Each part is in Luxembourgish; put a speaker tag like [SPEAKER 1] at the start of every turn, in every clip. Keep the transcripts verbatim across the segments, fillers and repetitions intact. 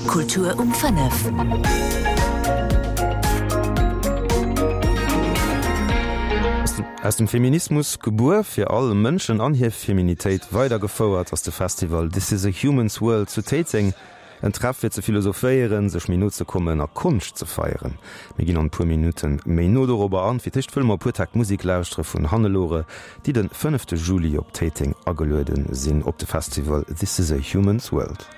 [SPEAKER 1] Kultur um fënnef.
[SPEAKER 2] Aus dem Feminismus gebuer, fir all Mënschen an hir Feminitéit weidergefouert ass de Festival This is a Human's World zu Téiteng. En Treff fir ze philosophéieren, sech méi no ze kommen a Konscht ze feieren. Mir ginn an e puer Minutte méi no dorobber an. Fir d'éischt wëlle mer e puer Takt Musek lauschtere vun Hannelore, déi de fënnefte Juli op Téiteng ageluede sinn op de Festival This is a Human's World.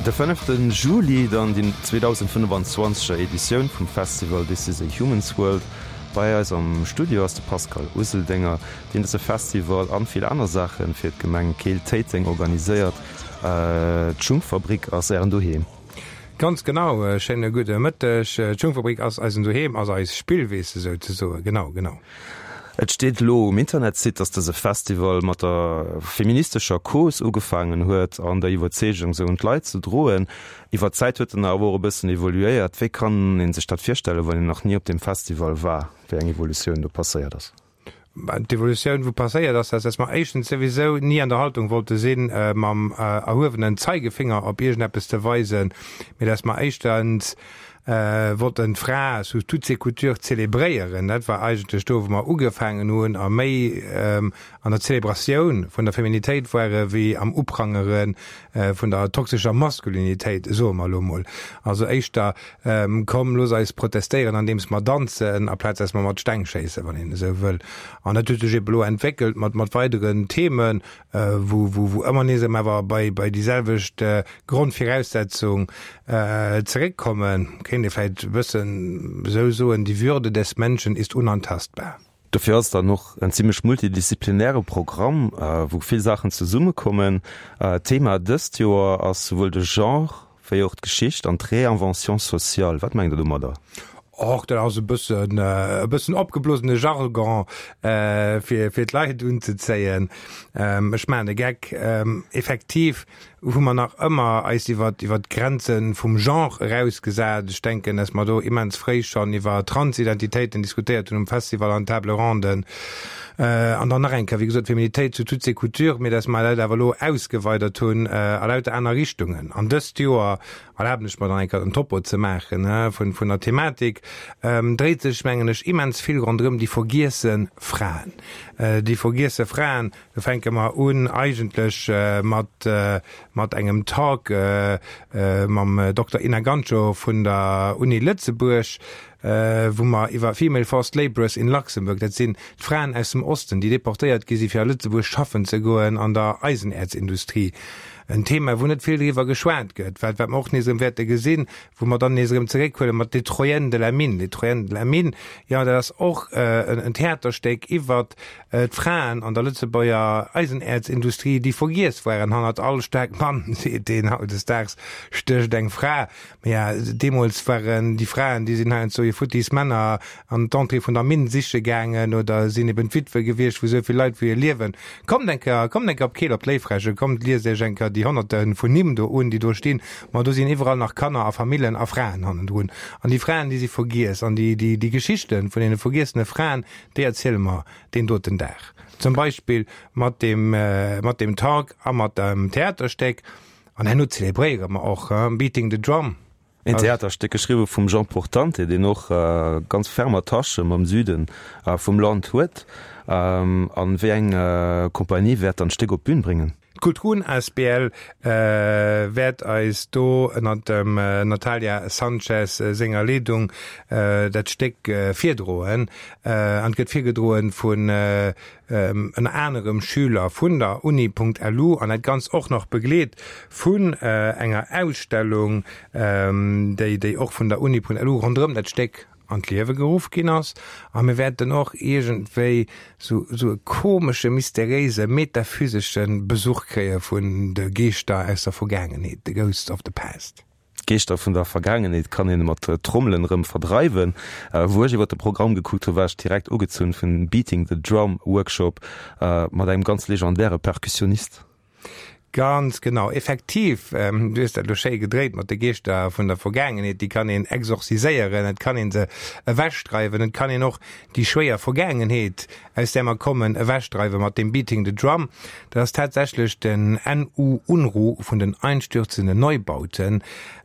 [SPEAKER 2] De fënnefte Juli dann déi zweedausendfënnefanzwanzeger Editioun vum Festival This is a Human's World. Bei eis am Studio ass de Pascal Useldinger, deen dëse Festival an vill aner Saache fir d'Gemeng Keel-Téiteng organiséiert. D'Schungfabrik ass Ären Doheem.
[SPEAKER 3] Ganz genau, schéine gudde Mëtteg. D'Schungfabrik ass eisen Doheem, ass eis Spillwiss souzesoen. Genau, genau.
[SPEAKER 2] Et steet elo um Internetsite, dass dëse Festival mat der feministescher Cause ugefaangen huet an der Iwwerzeegung, se un d'Leit ze droen. Iwwer d'Zäit huet en awer och e bëssen evoluéiert. Wéi kann ee sech dat virstellen, wann een nach ni op deem Festival war, wéi eng Evolutioun do passéiert ass?
[SPEAKER 3] D'Evolutioun, wou passéiert ass, ass, dass mer éischtens souwisou ni an der Haltung wollte sinn, mam erhuewenen Zeigefinger op iergendeppes ze weisen, mee dass mer éischtens wollten d'Fra sous toutes ses coutures zelebréieren. Dat war eigentlech do, wou mer ugefaangen hunn a méi an der Zelebratioun vun der Feminitéit ware wéi am Uprangere vun der toxescher Maskulinitéit, soe mer elo mol. Also éischter, Komm, looss eis protestéieren, andeems mer danzen, aplaz dass mer mat Steng schéissen, wann een esou wëll. An dat huet sech ebe elo entwéckelt mat mat weideren Themen, wou wou wou ëmmer nees erëm awer bei bei déi selwecht Grondviraussetzung zeréckkommen. Kéint ee vläicht e bëssen esou soen, Die Würde des Menschen ist unantastbar.
[SPEAKER 2] Dofir ass et dann och en zimlech multidisziplinäre Programm, wou vill Saachen zesummekommen. Thema dëst Joer ass souwuel de Genre wéi och d'Geschicht an d'Réinvention sociale. Wat mengt Der domadder?
[SPEAKER 3] Och dat ass e bëssen e bëssen opgeblosene Jargon, fir fir d'Leit unzezéien. Ech maachen e Geck. Effektiv hu mer nach ëmmer eis iwwer iwwer d'Grenze vum Genre erausgesat. Ech denken, dass mer do immens fréi schonn iwwer Transidentitéiten diskutéiert hunn um Festival an Table Ronden. An dann nach eng Kéier, wéi gesot, Feminitéit sous toutes ses coutures, mee dass mer dat awer elo ausgeweidert hunn a lauter aner Richtungen. An dëst Joer, erlaben ech mer dann eng Kéier den Topo ze maachen vun vun der Thematik, dréit sech, mengen ech, immens vill ronderëm déi vergiesse Fraen. Déi vergiesse Fraen, do fänke mer un eigentlech mat mat engem Talk mam Dokter Inna Ganschow vun der Uni Lëtzebuerg, wou mer iwwer Female Forced Labourers in Luxembourg, dat sinn d'Fraen aus dem Osten, déi deportéiert gi si fir a Lëtzebuerg schaffen ze goen an der Eisenäerzindustrie, en Thema, wou net vill driwwer geschwat gëtt, wat wat mer och nees erëm wäerte gesinn, wou mer dann nees erëm zeréckhuele mat Les Troyennes de la Mine. Les Troyennes de la Mine, jo, dat ass och en Theaterstéck iwwert d'Fraen an der Lëtzebuerger Eisenäerzindustrie, déi vergiess waren. Hannert all staark Mann, seet een hautdesdaags, stécht eng Fra. Mä deemools waren déi Fraen, déi sinn heiansdo hir futtis Männer an d'Entrée vun der Minn siche gaangen oder sinn eben d'Witwe gewiescht vu sou vill Leit, wou hir Liewen. Kommt eng Kéier, kommt eng Kéier op Keel op d'Léiffräche, kommt liest iech eng Kéier déi Honnerte vun Nimm do un, déi do stinn. Ma do sinn iwwerall nach Kanner a Famillen a Fraen hannendrun. An déi Fraen, déi si vergiess. An déi, déi, déi Geschichte vun deene vergiessene Fraen, déi erziele mer deen doten Dag. Zum Beispill mat deem, mat deem Talk a mat dem Theaterstéck. An herno zelebréiere mer och Beating the Drum.
[SPEAKER 2] Een Theaterstéck geschriwwe vum Jean Portante, deen och ganz ferm Attache mam Süde vum Land huet. An wéi eng Kompanie wäert dann d'Stéck op d'Bün bréngen?
[SPEAKER 3] D'Kultrun asbl wäert eis do ënner dem Natalia Sanchez senger Leedung dat Stéck virdroen. An et gëtt virgedroen vun ënner anerem Schüler vun der Uni.lu an dat Ganzt och nach begleet vun enger Ausstellung, déi déi och vun der Uni.lu ronderëm dat Stéck an d'Liewe geruff ginn ass. A mir wäerten och iergendwéi sou sou e komesche, mysteréise, metaphysesche Besuch kréie vun de Geeschter aus der Vergaangenheet, the ghosts of the past.
[SPEAKER 2] D'Geeschter vun der Vergaangenheet kann een mat Trommelen erëm verdreiwen. Wou ech iwwer de Programm gekuckt hu war ech direkt ugezunn vun Beating the Drum Workshop mat engem ganz legendäre Perkussionist.
[SPEAKER 3] Ganz genau, effektiv, du hues dat elo schéi gedréit mat de Geeschter vun der Vergaangenheet, déi kann een exorziséieren, et kann een se ewechdreiwen, et kann een och déi schwéier Vergaangenheet, aus där mer kommen, ewechdreiwen mat deem Beating the Drum. Dat ass tatsächlech den NU Unruh vun den Einstürzenden Neubauten.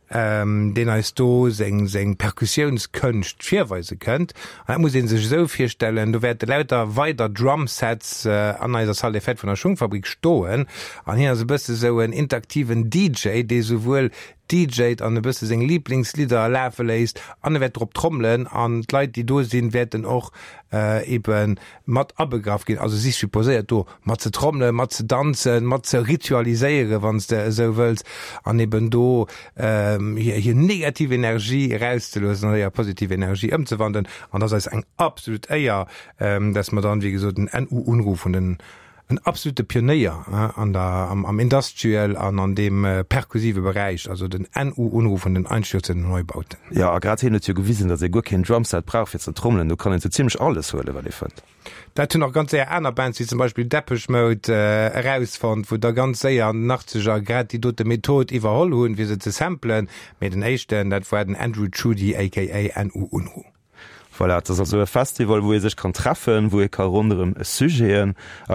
[SPEAKER 3] deen eis do seng seng Perkussiounskënscht virweise kënnt. An dat muss ee sech esou virstellen, do wäerte lauter weider Drumsets an eiser Salle des Fêtes vun der Schungfabrik stoen an hien ass e bësse sou en interaktiven DJ, dee souwuel DJt an e bësse seng Liblingslidder lafe léisst an e wäert drop trommelen an d'Leit, déi do sinn, wäerten och ebe mat abegraff ginn, also si supposéiert do mat ze trommelen, mat ze danzen, mat ze ritualiséieren, wann s de esou wëlls, an eben do hir hir negativ Energie erauszeloossen an a positiv Energie ëmzewandelen. An dat ass eis eng absolut Éier, dass mer dann, wéi gesot, den NU Unruh vun den en absolute Pionéier an der, am Industrial an an deem perkussive Beräich, also den NU Unruh vun den Einstürzenden Neubauten.
[SPEAKER 2] Jo, a grad hien huet jo gewisen, datt ee guer keen Drumset brauch fir ze trommelen, do kann een sou zimlech alles huelen, wat ee fënnt.
[SPEAKER 3] Dat hunn och ganz séier aner Bands, wéi zum Beispill Depeche Mode, erausfonnt, wou da ganz séier an den Achtzeger grad déi dote Method iwwerholl hunn, fir se ze samplen. Mee den éischten, dat war den Andrew Tschudi aka NU Unruh.
[SPEAKER 2] Voilà, et ass also e Festival, wou ee sech kann treffen, wou ee ka ronderëm Sujete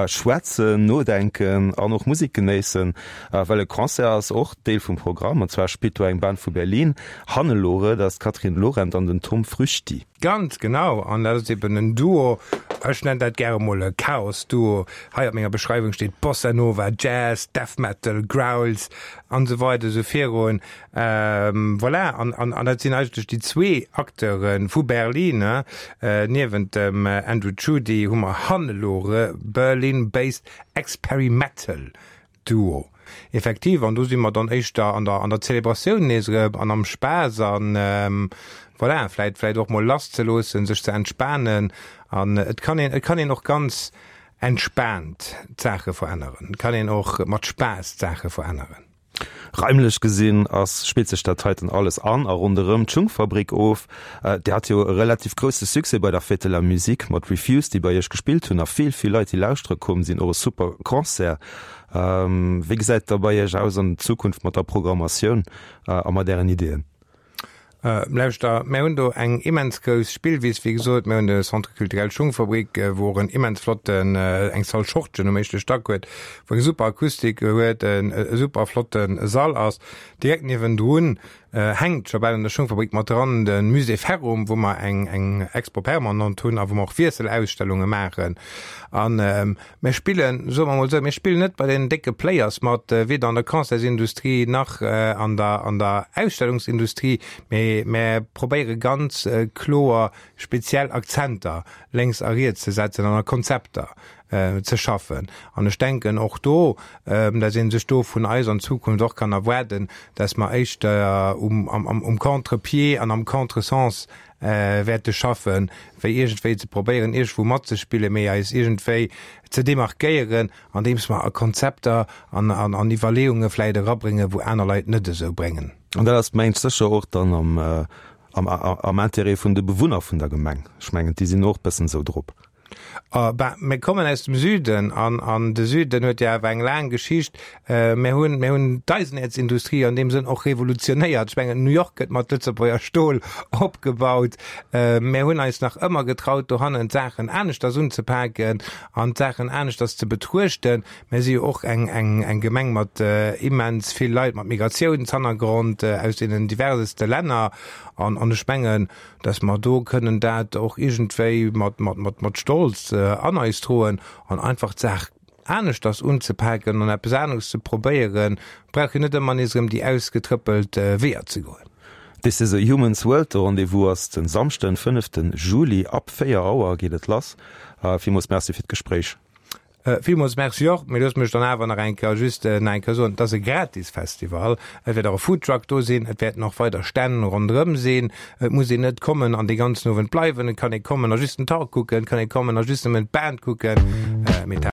[SPEAKER 2] schwätzen, nodenken an och Musek genéissen. Well e Concert ass och Deel vum Programm, an zwar spillt do eng Band vu Berlin, Hannelore, dat ass d'Catherine Lorent an den Tom Früchti.
[SPEAKER 3] Ganz genau, an dat ass eben en Duo, ech nennen dat gäre mol e Chaos-Duo. Hei op menger Beschreiwung steet Bossa Nova, Jazz, Death Metal, Growls an esou weider esou virun. Voilà, an, an, an dat sinn eigentlech déi zwee Acteure vu Berlin. Niewent dem Andrew Tschudi hu mer Hannelore, Berlin-based Experimetal Duo. Effektiv, an do si mer dann éischter an der, an der Zelebratioun nees erëm an am Spaass an, voilà, vläit, vläit och mol lasszeloossen, sech ze entspanen. An et kann een, et kann een och ganz entspaant d'Saache veränneren. Et kann een och mat Spaass d'Saache veränneren.
[SPEAKER 2] Raimlech gesinn ass, spillt sech dat heiten alles an a ronderëm d'Schungfabrik of. Dir hat jo e relativ grousse Succès bei der Fête de la Musique mat Refused, déi bei iech gespillt hunn a vill, vill Leit, déi lauschtere komm sinn. Och e super Concert. Wéi gesäit et da bei iech aus an Zukunft mat der Programmatioun a mat ären Ideeën?
[SPEAKER 3] Lauschter, mär hunn do eng immens grouss Spillwiss, wéi gesot. Mär hunn de Centre culturel Schungfabrik, wou och en immens flotten, eng Salle Schortgen um éischte Stack huet, wou eng super Akustik huet, e super flotte Sall ass. Direkt niewendrun hänkt scho bal an der Schungfabrik mat dran de Musée Ferrum, wou mer eng eng Expo permanente hunn a wou mer och Wiesselausstellunge maachen. An mir spillen, soe mer emol esou, mir spillen net bei den décke Players mat, weder an der Concertsindustrie nach an der an der Ausstellungsindustrie, mee mär probéiere ganz kloer speziell Akzenter lénks a riets ze setzen an a Konzepter ze schaffen. An ech denken och do, dass ee sech do vun eis an Zukunft och kann erwaarden, dass mer éischter um um Contre-pied an am Contre-sens wäerte schaffen, wéi iergendwéi ze probéieren, iergendwou matzespillen, mee eis iergendwéi ze demarkéieren, andeems mer a Konzepter an an Iwwerleeunge vläicht erabréngen, wou aner Leit net esou bréngen.
[SPEAKER 2] An dat ass, mengen ech, sécher och dann am am Intérêt vun de Bewunner vun der Gemeng. Ech mengen, déi sinn och e bëssen esou drop.
[SPEAKER 3] Ben, mir kommen aus dem Süden an, an de Süden huet jo awer eng laang Geschicht. Mir hunn, mir hunn d'Eisenerzindustrie an deem Sënn och revolutionéiert. Ech mengen, New York gëtt mat Lëtzebuerger Stol opgebaut. Mir hunn eis nach ëmmer getraut, dohannen d'Saachen aneschters unzepaken an d'Saachen aneschters ze betruechten. Mir si jo och eng, eng, eng Gemeng mat immens vill Leit mat Migratiounshannergrond aus deenen diverseste Länner. An, an ech mengen, dass mer do kënnen dat och iergendwéi mat, mat, mat, mat Stolz an eis droen an einfach d'Saach aneschters unzepaken an eppes aneres ze probéieren. Brauch jo net ëmmer nees erëm déi ausgetrëppelt Weeër ze goen.
[SPEAKER 2] This is a Human's World, de Rendez-vous ass den Samschden, fënneften Juli ab véier Auer geet et lass. Villmools Merci fir d'Gespréich.
[SPEAKER 3] Villmools Merci och. Mee looss mech dann awer nach eng Kéier just nach eng Kéier soen, et ass e gratis Festival. Et wäert och e Foodtruck do sinn, et wäerten och weider Stänn ronderëm sinn. Et muss een net kommen an dee ganzen Owend bleiwen. Et kann ee kommen a just den Talk kucken, et kann ee kommen a just nëmmen d'Band kucken. Mee